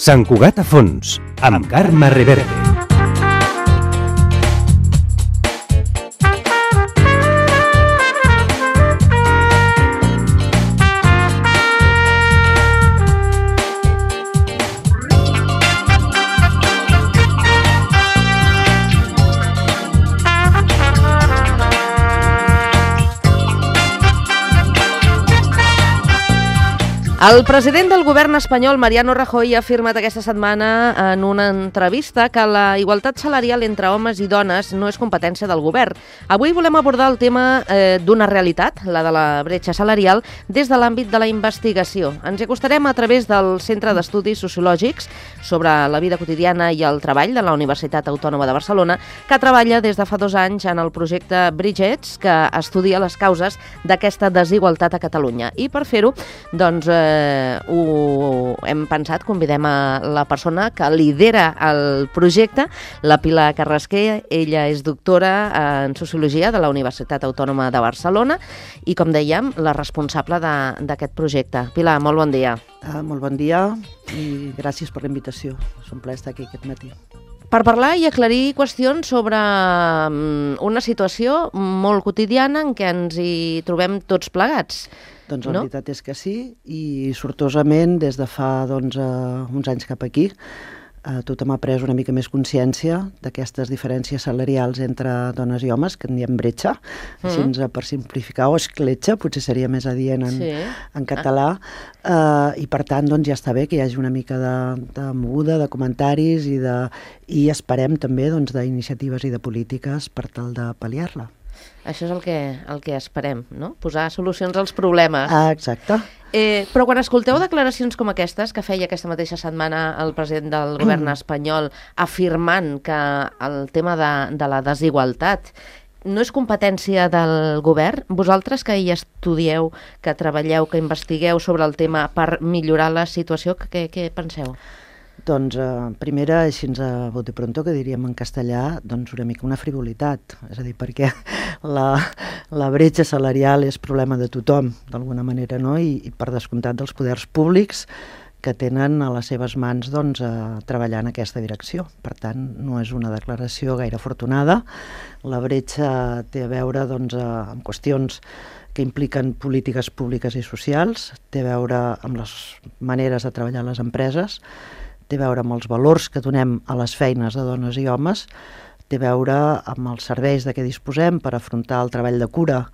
Sant Cugat a fons, amb Carme Reverte. El president del govern espanyol, Mariano Rajoy, ha afirmat aquesta setmana en una entrevista que la igualtat salarial entre homes i dones no és competència del govern. Avui volem abordar el tema d'una realitat, la de la bretxa salarial, des de l'àmbit de la investigació. Ens hi acostarem a través del Centre d'Estudis Sociològics sobre la vida quotidiana i el treball de la Universitat Autònoma de Barcelona, que treballa des de fa 2 anys en el projecte Bridgets, que estudia les causes d'aquesta desigualtat a Catalunya. I per fer-ho, doncs, ho hem pensat, convidem a la persona que lidera el projecte, la Pilar Carrasquer. Ella és doctora en Sociologia de la Universitat Autònoma de Barcelona i, com dèiem, la responsable d'aquest projecte. Pilar, molt bon dia. Molt bon dia i gràcies per la invitació. És un plaer estar aquí aquest matí. Per parlar i aclarir qüestions sobre una situació molt quotidiana en què ens hi trobem tots plegats. Doncs la veritat és que sí, i sortosament des de fa uns anys cap aquí tothom ha pres una mica més consciència d'aquestes diferències salarials entre dones i homes, que en diem bretxa, així per simplificar, o escletxa, potser seria més adient en català, i per tant ja està bé que hi hagi una mica de moguda, de comentaris i esperem també d'iniciatives i de polítiques per tal de pal·liar-la. Això és el que esperem, no? Posar solucions als problemes. Exacte. Però quan escolteu declaracions com aquestes, que feia aquesta mateixa setmana el president del govern espanyol afirmant que el tema de la desigualtat no és competència del govern, vosaltres que hi estudieu, que treballeu, que investigueu sobre el tema per millorar la situació, què penseu? Doncs, primera, així a bote pronto, que diríem en castellà, una mica una frivolitat. És a dir, perquè la bretxa salarial és problema de tothom, d'alguna manera, no? I per descomptat dels poders públics que tenen a les seves mans treballar en aquesta direcció. Per tant, no és una declaració gaire afortunada. La bretxa té a veure amb qüestions que impliquen polítiques públiques i socials, té a veure amb les maneres de treballar les empreses, té a veure amb els valors que donem a les feines de dones i homes, té a veure amb els serveis de què disposem per afrontar el treball de cura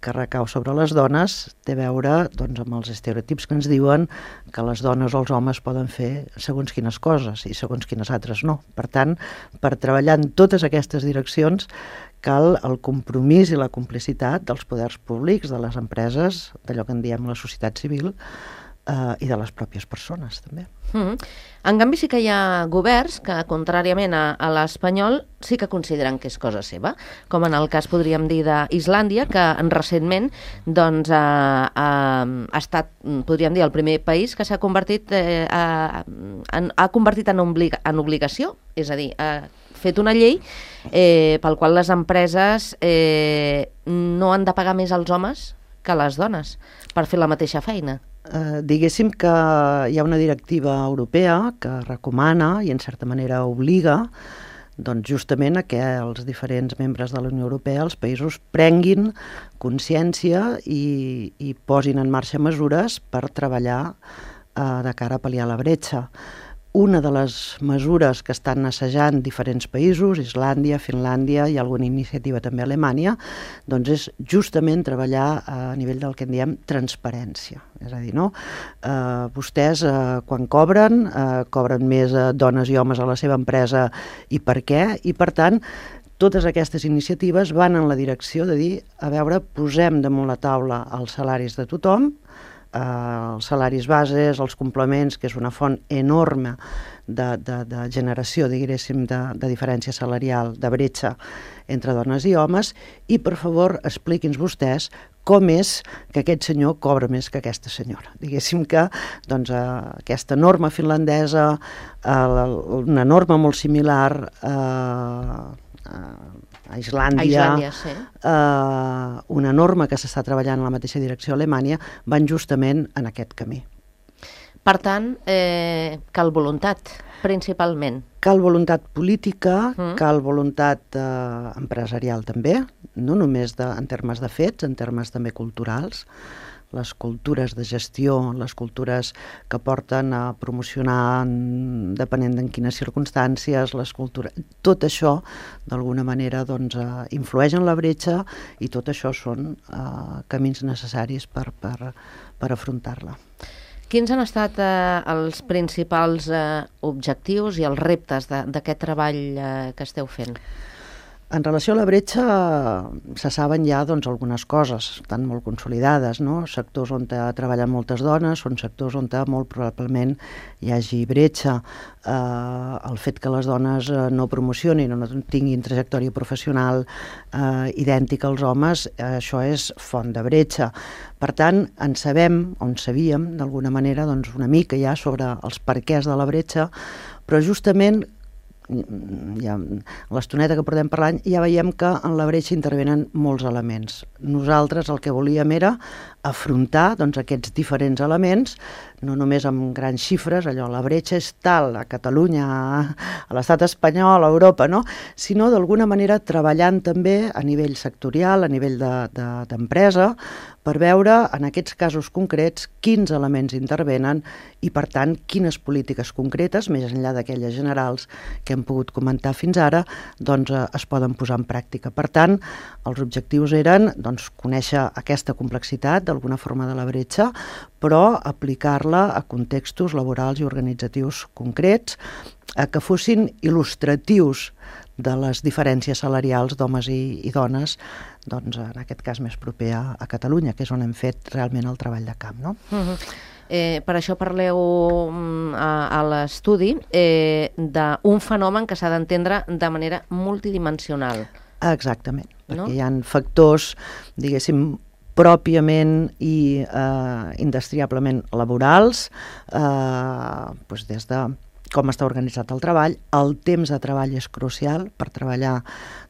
que recau sobre les dones, té a veure amb els estereotips que ens diuen que les dones o els homes poden fer segons quines coses i segons quines altres no. Per tant, per treballar en totes aquestes direccions cal el compromís i la complicitat dels poders públics, de les empreses, d'allò que en diem la societat civil, i de les pròpies persones, també. En canvi, sí que hi ha governs que, contràriament a l'espanyol, sí que consideren que és cosa seva, com en el cas, podríem dir, d'Islàndia, que recentment ha estat, podríem dir, el primer país que s'ha convertit en obligació, és a dir, ha fet una llei pel qual les empreses no han de pagar més als homes que les dones per fer la mateixa feina. Diguéssim que hi ha una directiva europea que recomana i en certa manera obliga justament a que els diferents membres de la Unió Europea, els països, prenguin consciència i posin en marxa mesures per treballar de cara a pal·liar la bretxa. Una de les mesures que estan assajant diferents països, Islàndia, Finlàndia i alguna iniciativa també a Alemanya, és justament treballar a nivell del que en diem transparència. És a dir, vostès quan cobren més dones i homes a la seva empresa i per què? I per tant, totes aquestes iniciatives van en la direcció de dir, a veure, posem damunt la taula els salaris de tothom, els salaris bases, els complements, que és una font enorme de generació, diguéssim, de diferència salarial, de bretxa entre dones i homes, i per favor expliqui'ns vostès com és que aquest senyor cobra més que aquesta senyora. Diguéssim que aquesta norma finlandesa, una norma molt similar a Islàndia, sí. Una norma que s'està treballant en la mateixa direcció a Alemanya, van justament en aquest camí. Per tant, cal voluntat, principalment. Cal voluntat política, cal voluntat empresarial també, no només en termes de fets, en termes també culturals. Les cultures de gestió, les cultures que porten a promocionar depenent en quines circumstàncies, tot això d'alguna manera doncs, influeix en la bretxa i tot això són camins necessaris per afrontar-la. Quins han estat els principals objectius i els reptes d'aquest treball que esteu fent? En relació a la bretxa se saben ja doncs, algunes coses, estan molt consolidades, no? Sectors on treballen moltes dones, són sectors on molt probablement hi hagi bretxa. El fet que les dones no promocionin o no tinguin trajectòria professional idèntica als homes, això és font de bretxa. Per tant, sabíem d'alguna manera doncs, una mica ja sobre els perquès de la bretxa, però justament ja, l'estoneta que portem parlant ja veiem que en la bretxa intervenen molts elements. Nosaltres el que volíem era afrontar doncs, aquests diferents elements, no només amb grans xifres, allò, la bretxa és tal a Catalunya, a l'estat espanyol, a Europa, no? Sinó d'alguna manera treballant també a nivell sectorial, a nivell d'empresa, per veure en aquests casos concrets quins elements intervenen i, per tant, quines polítiques concretes, més enllà d'aquelles generals que hem pogut comentar fins ara, doncs es poden posar en pràctica. Per tant, els objectius eren doncs, conèixer aquesta complexitat d'alguna forma de la bretxa, però aplicar-la a contextos laborals i organitzatius concrets que fossin il·lustratius de les diferències salarials d'homes i dones, doncs en aquest cas més proper a Catalunya, que és on hem fet realment el treball de camp, no? Per això parleu a l'estudi d'un fenomen que s'ha d'entendre de manera multidimensional. Exactament, no? Perquè hi ha factors, diguéssim, pròpiament i indestriablement laborals, doncs des de com està organitzat el treball. El temps de treball és crucial per treballar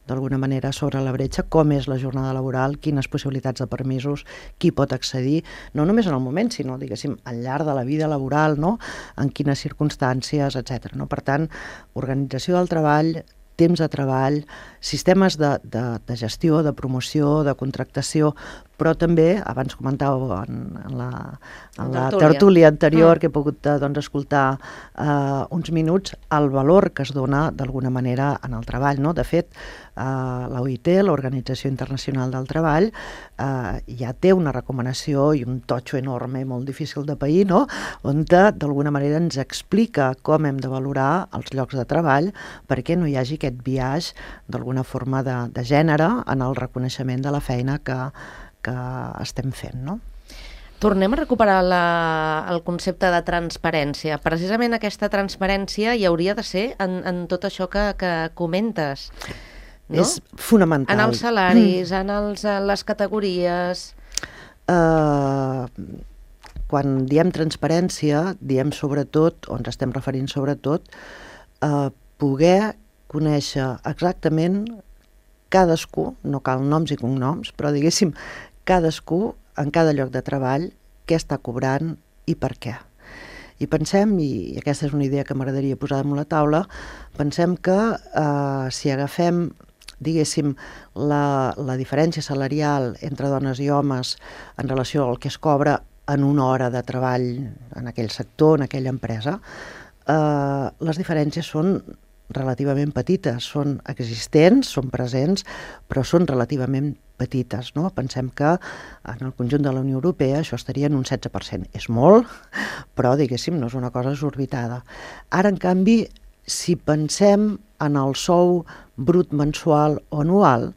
d'alguna manera sobre la bretxa, com és la jornada laboral, quines possibilitats de permisos, qui pot accedir, no només en el moment, sinó, diguéssim, al llarg de la vida laboral, no? En quines circumstàncies, etc. No? Per tant, organització del treball, temps de treball, sistemes de gestió, de promoció, de contractació, però també, abans comentàveu en la tertúlia anterior que he pogut doncs, escoltar uns minuts, el valor que es dona d'alguna manera en el treball. No? De fet, l'OIT, l'Organització Internacional del Treball, ja té una recomanació i un totxo enorme, molt difícil de pair, no? On d'alguna manera ens explica com hem de valorar els llocs de treball perquè no hi hagi aquest biaix d'alguna forma de gènere en el reconeixement de la feina que estem fent, no? Tornem a recuperar el concepte de transparència. Precisament aquesta transparència hi hauria de ser en tot això que comentes. No? És fonamental. En els salaris, en les categories. Quan diem transparència, diem sobretot, o ens estem referint sobretot, a poder conèixer exactament cadascú, no cal noms i cognoms, però diguéssim, cadascú en cada lloc de treball què està cobrant i per què. I pensem, i aquesta és una idea que m'agradaria posar damunt la taula, pensem que si agafem, diguéssim, la diferència salarial entre dones i homes en relació al que es cobra en una hora de treball en aquell sector, en aquella empresa, les diferències són relativament petites, són existents, són presents, però són relativament petites, no? Pensem que en el conjunt de la Unió Europea això estaria en un 16%. És molt, però, diguéssim, no és una cosa exorbitada. Ara, en canvi, si pensem en el sou brut mensual o anual,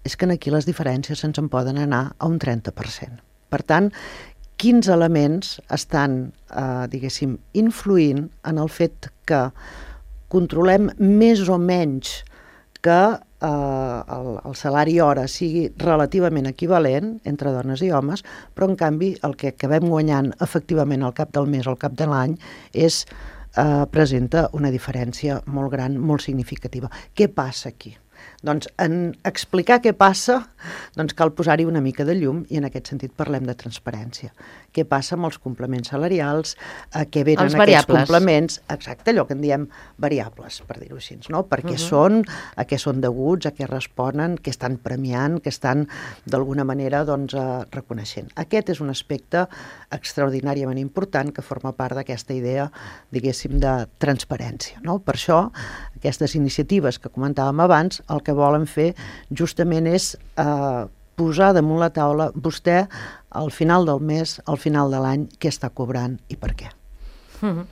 és que aquí les diferències se'ns en poden anar a un 30%. Per tant, quins elements estan, diguéssim, influint en el fet que controlem més o menys que el salari hora sigui relativament equivalent entre dones i homes, però en canvi el que acabem guanyant efectivament al cap del mes o al cap de l'any presenta una diferència molt gran, molt significativa. Què passa aquí? Doncs en explicar què passa, doncs cal posar-hi una mica de llum i en aquest sentit parlem de transparència. Què passa amb els complements salarials, a què venen aquests complements, exacte, allò que en diem variables, per dir-ho així, no? Per què són, a què són deguts, a què responen, què estan premiant, què estan d'alguna manera doncs, reconeixent. Aquest és un aspecte extraordinàriament important que forma part d'aquesta idea, diguéssim, de transparència, no? Per això, aquestes iniciatives que comentàvem abans, el que volen fer justament és posar damunt la taula vostè al final del mes, al final de l'any, què està cobrant i per què. Com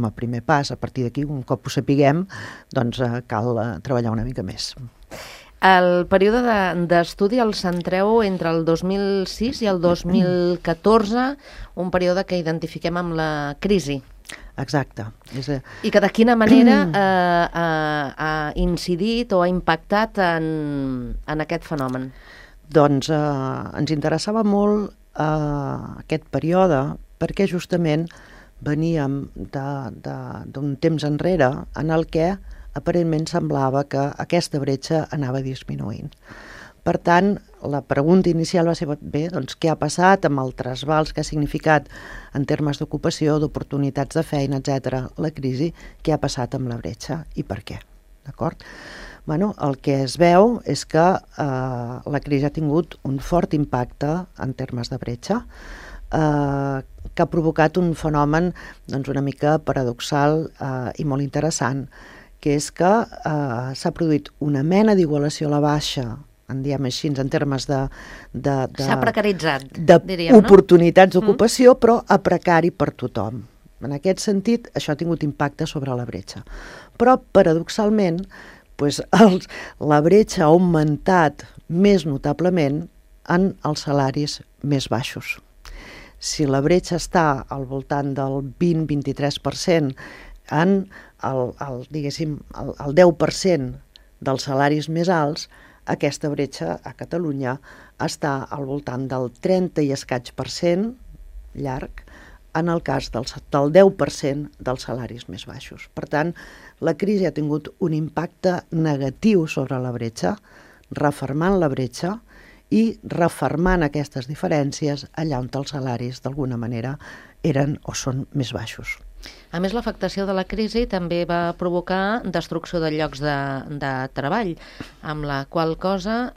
a primer pas, a partir d'aquí, un cop ho sapiguem, doncs cal treballar una mica més. El període d'estudi el centreu entre el 2006 i el 2014, un període que identifiquem amb la crisi. Exacte. I que de quina manera ha incidit o ha impactat en aquest fenomen? Doncs ens interessava molt aquest període perquè justament veníem d'un temps enrere en el que aparentment semblava que aquesta bretxa anava disminuint. Per tant, la pregunta inicial va ser, bé, doncs què ha passat amb el trasbals que ha significat en termes d'ocupació, d'oportunitats de feina, etc. la crisi, què ha passat amb la bretxa i per què, d'acord? Bueno, el que es veu és que la crisi ha tingut un fort impacte en termes de bretxa, que ha provocat un fenomen doncs, una mica paradoxal i molt interessant, que és que s'ha produït una mena d'igualació a la baixa, en diem així, en termes de s'ha precaritzat, diríem, oportunitats d'ocupació, però a precari per tothom. En aquest sentit, això ha tingut impacte sobre la bretxa. Però, paradoxalment, doncs, la bretxa ha augmentat més notablement en els salaris més baixos. Si la bretxa està al voltant del 20-23% en el 10% dels salaris més alts, aquesta bretxa a Catalunya està al voltant del 30 i escaig % llarg en el cas del 10% dels salaris més baixos. Per tant, la crisi ha tingut un impacte negatiu sobre la bretxa, refermant la bretxa i refermant aquestes diferències allà on els salaris d'alguna manera eren o són més baixos. A més, l'afectació de la crisi també va provocar destrucció de llocs de treball, amb la qual cosa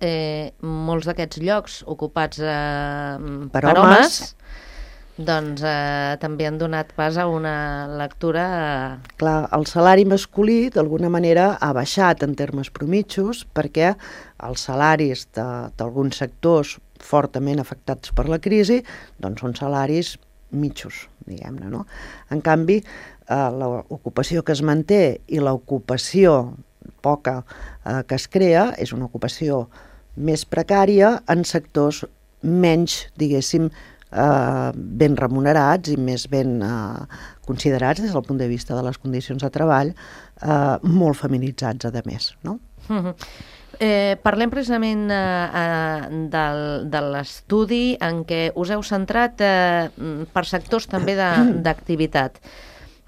molts d'aquests llocs ocupats per homes doncs també han donat pas a una lectura... Clar, el salari masculí d'alguna manera ha baixat en termes promitjos perquè els salaris d'alguns sectors fortament afectats per la crisi doncs són salaris mitjos, diguem-ne, no? En canvi, l'ocupació que es manté i l'ocupació poca que es crea és una ocupació més precària en sectors menys, diguéssim, ben remunerats i més ben considerats des del punt de vista de les condicions de treball, molt feminitzats, a més, no? Parlem precisament de l'estudi en què us heu centrat per sectors també d'activitat.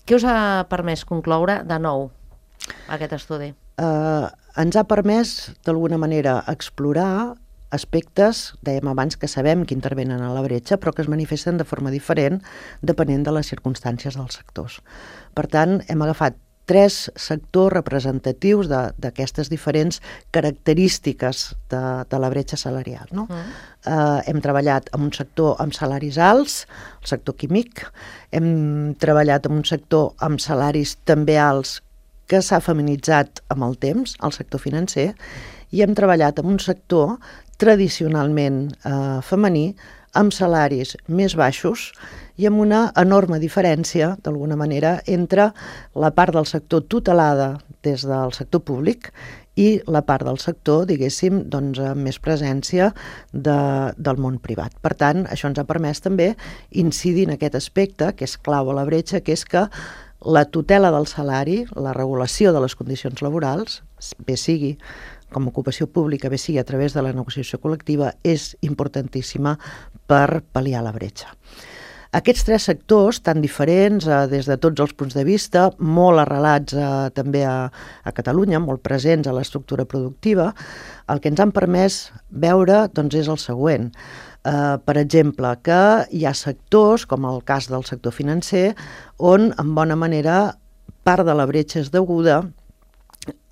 Què us ha permès concloure de nou aquest estudi? Ens ha permès d'alguna manera explorar aspectes, dèiem abans, que sabem que intervenen a la bretxa, però que es manifesten de forma diferent depenent de les circumstàncies dels sectors. Per tant, hem agafat 3 sectors representatius d'aquestes diferents característiques de la bretxa salarial. No? Hem treballat en un sector amb salaris alts, el sector químic, hem treballat en un sector amb salaris també alts que s'ha feminitzat amb el temps, el sector financer, i hem treballat en un sector tradicionalment femení, amb salaris més baixos i amb una enorme diferència, d'alguna manera, entre la part del sector tutelada des del sector públic i la part del sector, diguéssim, doncs, amb més presència del món privat. Per tant, això ens ha permès també incidir en aquest aspecte, que és clau a la bretxa, que és que la tutela del salari, la regulació de les condicions laborals, bé sigui com a ocupació pública, bé sigui a través de la negociació col·lectiva, és importantíssima per pal·liar la bretxa. Aquests tres sectors, tan diferents des de tots els punts de vista, molt arrelats també a Catalunya, molt presents a l'estructura productiva, el que ens han permès veure doncs, és el següent. Per exemple, que hi ha sectors, com el cas del sector financer, on en bona manera part de la bretxa és deguda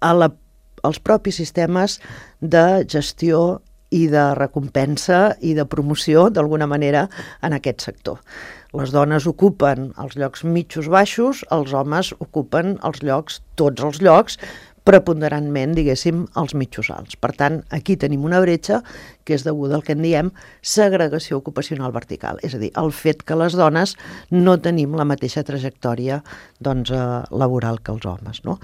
als propis sistemes de gestió i de recompensa i de promoció, d'alguna manera, en aquest sector. Les dones ocupen els llocs mitjos baixos, els homes ocupen tots els llocs, preponderantment, diguéssim, els mitjos alts. Per tant, aquí tenim una bretxa que és deguda al que en diem segregació ocupacional vertical, és a dir, el fet que les dones no tenim la mateixa trajectòria laboral que els homes. No?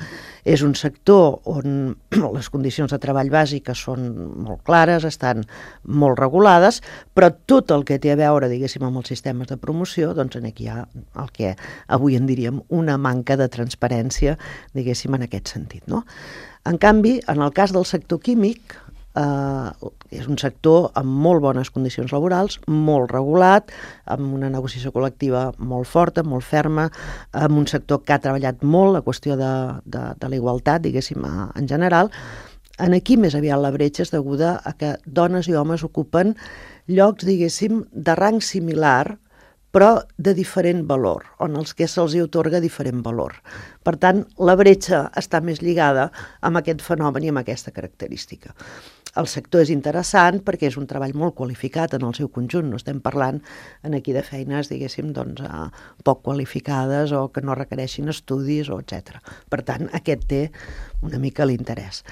És un sector on les condicions de treball bàsiques són molt clares, estan molt regulades, però tot el que té a veure, diguéssim, amb els sistemes de promoció, doncs aquí hi ha el que avui en diríem una manca de transparència, diguéssim, en aquest sentit. No? En canvi, en el cas del sector químic, és un sector amb molt bones condicions laborals, molt regulat, amb una negociació col·lectiva molt forta, molt ferma, amb un sector que ha treballat molt la qüestió de la igualtat, diguéssim, en general. Aquí més aviat la bretxa és deguda a que dones i homes ocupen llocs, diguéssim, de rang similar, però de diferent valor, on els que se'ls hi atorga diferent valor. Per tant, la bretxa està més lligada amb aquest fenomen i amb aquesta característica. El sector és interessant perquè és un treball molt qualificat en el seu conjunt. No estem parlant aquí de feines, diguéssim, doncs, poc qualificades o que no requereixin estudis, etc. Per tant, aquest té una mica l'interès.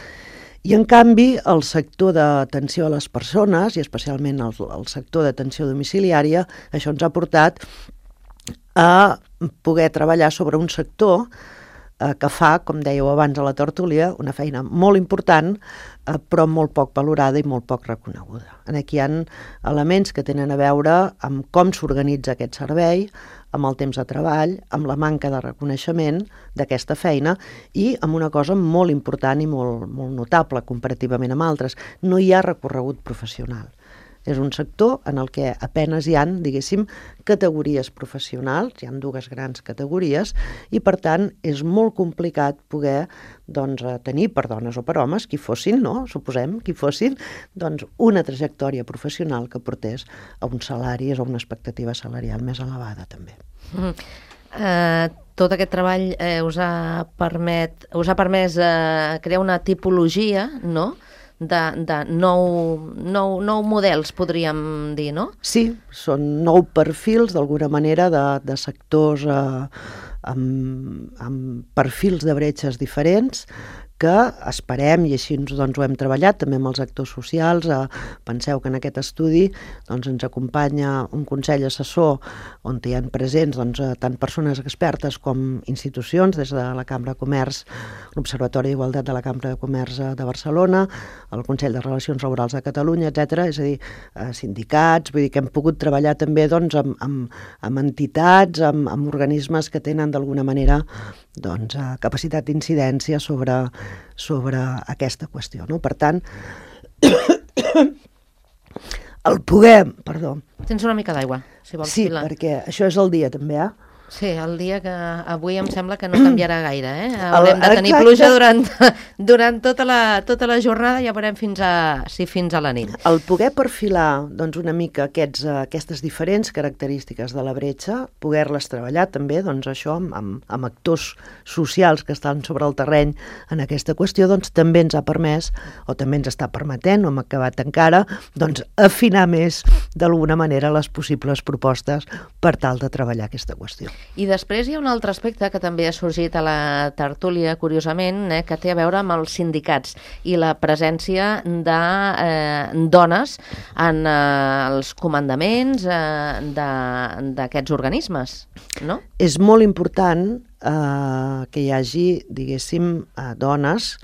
I, en canvi, el sector d'atenció a les persones, i especialment el sector d'atenció domiciliària, això ens ha portat a poder treballar sobre un sector que fa, com dèieu abans a la tertúlia, una feina molt important, però molt poc valorada i molt poc reconeguda. Aquí hi ha elements que tenen a veure amb com s'organitza aquest servei, amb el temps de treball, amb la manca de reconeixement d'aquesta feina i amb una cosa molt important i molt notable comparativament amb altres. No hi ha recorregut professional. És un sector en el que apenes hi ha, diguéssim, categories professionals, hi ha dues grans categories, i per tant és molt complicat poder tenir per dones o per homes, qui fossin, no? Suposem, qui fossin, una trajectòria professional que portés a uns salaris o una expectativa salarial més elevada també. Tot aquest treball us ha permès crear una tipologia, no?, de nou models, podríem dir, no? Sí, són 9 perfils, d'alguna manera, de sectors amb perfils de bretxes diferents, que esperem, i així ho hem treballat també amb els actors socials. Penseu que en aquest estudi ens acompanya un consell assessor on hi ha presents tant persones expertes com institucions, des de la Cambra de Comerç, l'Observatori d'Igualtat de la Cambra de Comerç de Barcelona, el Consell de Relacions Laborals de Catalunya, etc. És a dir, sindicats, vull dir que hem pogut treballar també amb entitats, amb organismes que tenen d'alguna manera capacitat d'incidència sobre aquesta qüestió. No? Per tant, el poder... Perdó. Tens una mica d'aigua, si vols. Sí, perquè això és el dia també, Sí, el dia que avui em sembla que no canviarà gaire, Haurem de tenir pluja durant tota la jornada, ja veurem fins a la nit. El poder perfilar una mica aquestes diferents característiques de la bretxa, poder-les treballar també això amb actors socials que estan sobre el terreny en aquesta qüestió, també ens ha permès, o també ens està permetent, no hem acabat encara, afinar més d'alguna manera les possibles propostes per tal de treballar aquesta qüestió. I després hi ha un altre aspecte que també ha sorgit a la tertúlia, curiosament, que té a veure amb els sindicats i la presència de dones en els comandaments d'aquests organismes, no? És molt important que hi hagi, diguéssim, dones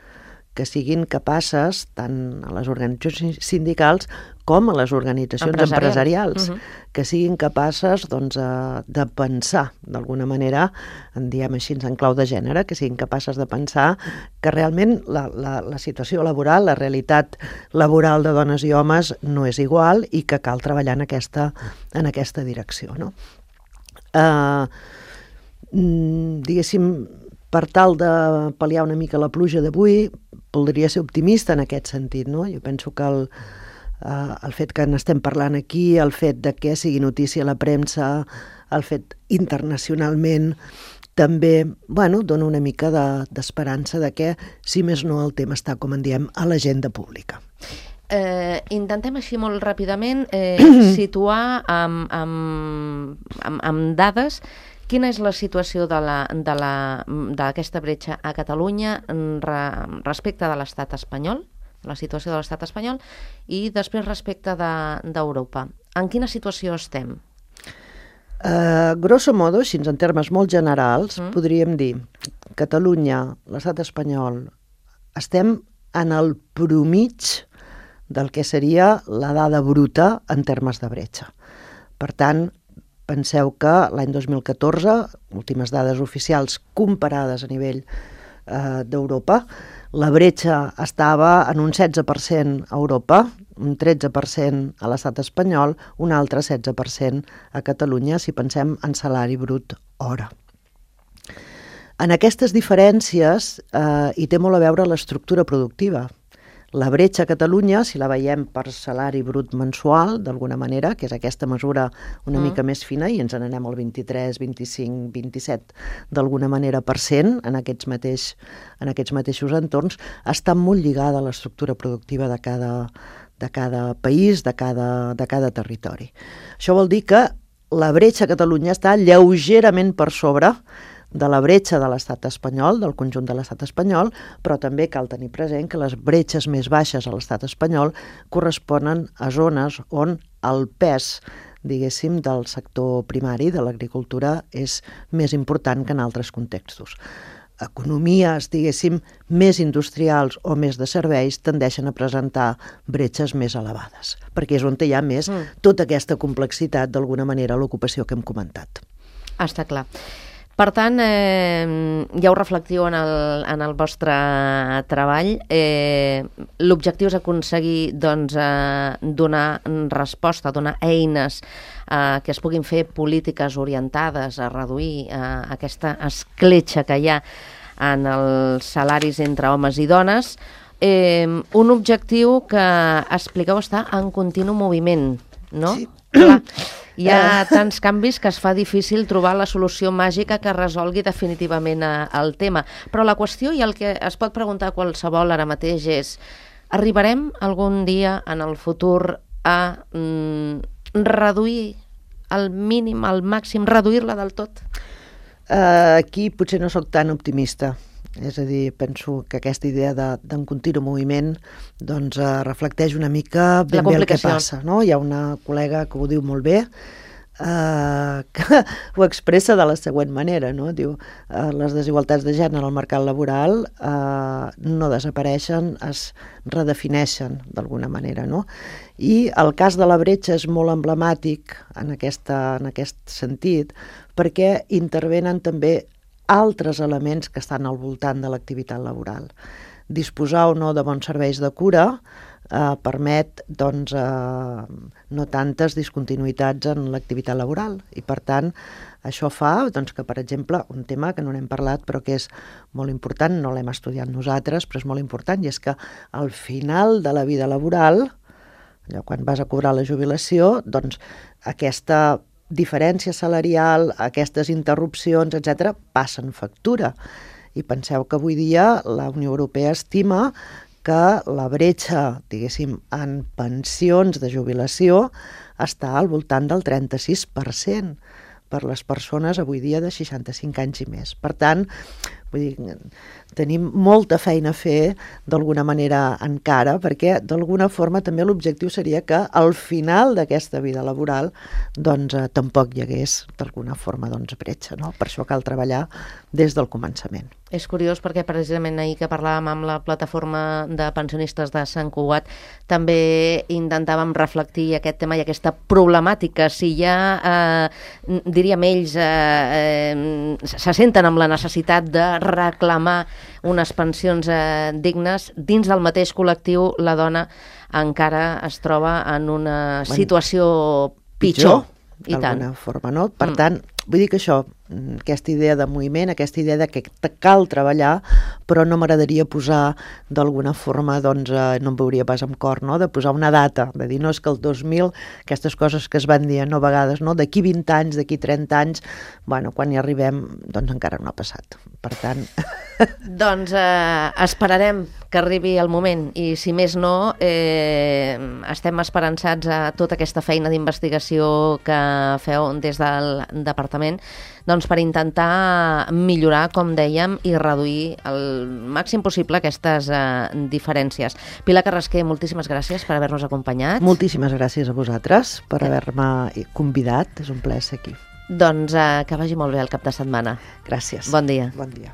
que siguin capaces, tant a les organitzacions sindicals com a les organitzacions empresarials, que siguin capaces de pensar, d'alguna manera, en diem així en clau de gènere, que siguin capaces de pensar que realment la situació laboral, la realitat laboral de dones i homes no és igual i que cal treballar en aquesta direcció, no? Diguéssim, per tal de pal·liar una mica la pluja d'avui, voldria ser optimista en aquest sentit, no? Jo penso que el fet que n'estem parlant aquí, el fet de que sigui notícia a la premsa, el fet internacionalment, també, dona una mica d'esperança de que, si més no, el tema està, com en diem, a l'agenda pública. Intentem així molt ràpidament situar amb dades quina és la situació d'aquesta bretxa a Catalunya respecte de l'estat espanyol, la situació de l'estat espanyol, i després respecte d'Europa. En quina situació estem? Grosso modo, així en termes molt generals, podríem dir Catalunya, l'estat espanyol, estem en el promig del que seria la dada bruta en termes de bretxa. Per tant, penseu que l'any 2014, últimes dades oficials comparades a nivell d'Europa, la bretxa estava en un 16% a Europa, un 13% a l'estat espanyol, un altre 16% a Catalunya, si pensem en salari brut hora. En aquestes diferències hi té molt a veure l'estructura productiva. La bretxa a Catalunya, si la veiem per salari brut mensual, d'alguna manera, que és aquesta mesura una mica més fina, i ens n'anem al 23, 25, 27, d'alguna manera % en aquests mateixos entorns, està molt lligada a l'estructura productiva de cada país, de cada territori. Això vol dir que la bretxa a Catalunya està lleugerament per sobre de la bretxa de l'estat espanyol, del conjunt de l'estat espanyol, però també cal tenir present que les bretxes més baixes a l'estat espanyol corresponen a zones on el pes, diguéssim, del sector primari, de l'agricultura, és més important que en altres contextos. Economies, diguéssim, més industrials o més de serveis tendeixen a presentar bretxes més elevades, perquè és on hi ha més tota aquesta complexitat, d'alguna manera, l'ocupació que hem comentat. Està clar. Per tant, ja ho reflectiu en el vostre treball. L'objectiu és aconseguir donar resposta, donar eines que es puguin fer polítiques orientades a reduir aquesta escletxa que hi ha en els salaris entre homes i dones. Un objectiu que, expliqueu, està en continu moviment, no? Sí. Clar, hi ha tants canvis que es fa difícil trobar la solució màgica que resolgui definitivament el tema. Però la qüestió, i el que es pot preguntar qualsevol ara mateix, és: arribarem algun dia en el futur a reduir al mínim, al màxim, reduir-la del tot? Aquí potser no sóc tan optimista. És a dir, penso que aquesta idea d'un continu moviment reflecteix una mica ben bé el que passa, no? Hi ha una col·lega que ho diu molt bé, que ho expressa de la següent manera, no? Diu, les desigualtats de gènere al mercat laboral no desapareixen, es redefineixen d'alguna manera, no? I el cas de la bretxa és molt emblemàtic en aquest sentit, perquè intervenen també altres elements que estan al voltant de l'activitat laboral. Disposar o no de bons serveis de cura permet no tantes discontinuïtats en l'activitat laboral, i per tant això fa que, per exemple, un tema que no n'hem parlat però que és molt important, no l'hem estudiat nosaltres, però és molt important, i és que al final de la vida laboral, allò quan vas a cobrar la jubilació, aquesta diferència salarial, aquestes interrupcions, etc., passen factura. I penseu que avui dia la Unió Europea estima que la bretxa, diguéssim, en pensions de jubilació està al voltant del 36% per les persones avui dia de 65 anys i més. Per tant, vull dir, tenim molta feina a fer d'alguna manera encara, perquè d'alguna forma també l'objectiu seria que al final d'aquesta vida laboral tampoc hi hagués d'alguna forma bretxa, no? Per això cal treballar des del començament. És curiós perquè precisament ahir que parlàvem amb la plataforma de pensionistes de Sant Cugat també intentàvem reflectir aquest tema i aquesta problemàtica. Si ja, diríem ells, se senten amb la necessitat de reclamar unes pensions dignes, dins del mateix col·lectiu la dona encara es troba en una situació pitjor. D'alguna forma, no? Per tant, Vull dir que això, aquesta idea de moviment, aquesta idea de que cal treballar, però no m'agradaria posar d'alguna forma, doncs, no em veuria pas amb cor, no?, de posar una data, de dir, no, és que el 2000, aquestes coses que es van dir no, a vegades, no?, d'aquí 20 anys, d'aquí 30 anys, bueno, quan hi arribem, doncs encara no ha passat. Per tant... Doncs esperarem que arribi el moment i, si més no, estem esperançats a tota aquesta feina d'investigació que feu des del departament, doncs per intentar millorar, com dèiem, i reduir el màxim possible aquestes diferències. Pilar Carrasquer, moltíssimes gràcies per haver-nos acompanyat. Moltíssimes gràcies a vosaltres per haver-me convidat, és un plaer ser aquí. Doncs que vagi molt bé el cap de setmana. Gràcies. Bon dia. Bon dia.